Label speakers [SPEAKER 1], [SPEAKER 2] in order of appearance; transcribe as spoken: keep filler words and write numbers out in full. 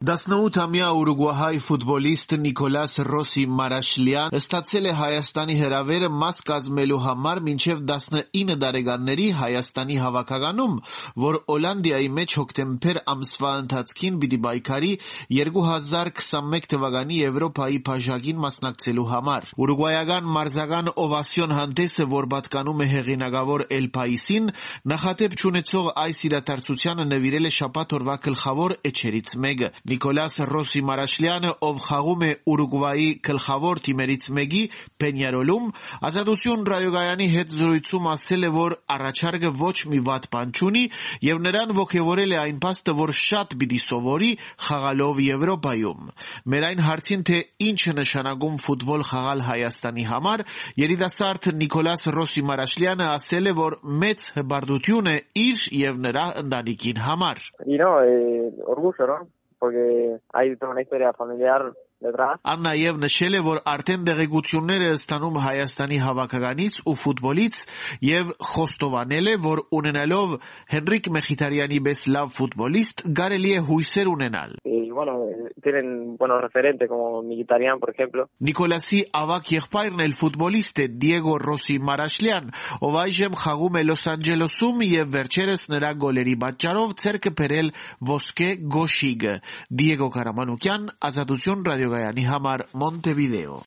[SPEAKER 1] տասնութամյա ուրուգվահայ ֆուտբոլիստ Նիկոլաս Ռոսի Մարաշլյան ստացել է Հայաստանի հրավերը մաս կազմելու համար մինչև տասնինը տարեկանների Հայաստանի հավաքականում, որ Հոլանդիայի մեջ հոկտեմբեր ամսվա ընթացքին պիտի պայքարի երկու հազար քսանմեկ թվականի Եվրոպայի բաժակին մասնակցելու համար։ Ուրուգվայական մարզական օվասիոն հանդեսը, որ պատկանում է հեղինակավոր Էլ Պայիսին, նախատեպ չունեցող այս իրադարձությանը նվիրել է շաբաթ օրվա գլխավոր էջերից մեկը։ Նիկոլաս Ռոսի Մարաշլյանը, ով խաղում է Ուրուգվայի գլխավոր թիմերից մեկի Պենյարոլում, Ազատություն ռադիոկայանի հետ զրույցում ասել է, որ առաջարկը ոչ մի վատ բան չունի եւ նրան ոգևորել է այն փաստը, որ շատ պիտի սովորի խաղալով Եվրոպայում։ Մեր այն հարցին, թե ինչ է նշանակում ֆուտբոլ խաղալ Հայաստանի համար, երիտասարդ Նիկոլաս Ռոսի Մարաշլյանը ասել է, որ մեծ հպարտություն է իր եւ նրա ընտանիքին համար։
[SPEAKER 2] You know, eh, orgullo, ¿no? Porque hay toda una historia familiar detrás.
[SPEAKER 1] Ան նաև նշել է, որ արդեն տեղեկություններ է ստանում Հայաստանի հավաքականից ու ֆուտբոլից եւ խոստովանել է, որ ունենալով Հենրիկ Մեխիթարյանի պես լավ ֆուտբոլիստ կարելի է հույսեր ունենալ։
[SPEAKER 2] Y bueno, tienen buenos referentes como Mkhitaryan, por ejemplo.
[SPEAKER 1] Նիկոլասի ավագ եղբայրն էլ ֆուտբոլիստ է Դիեգո Ռոսի Մարաշլյան, ով այժմ խաղում է Լոս Անջելեսում եւ վերջերս նրա գոլերի պատճառով ցերկը բերել ոսկե գոշիգը։ Դիեգո Կարամանուկյան, Ազատություն ռադիոկայանի համար, Մոնտեվիդեո։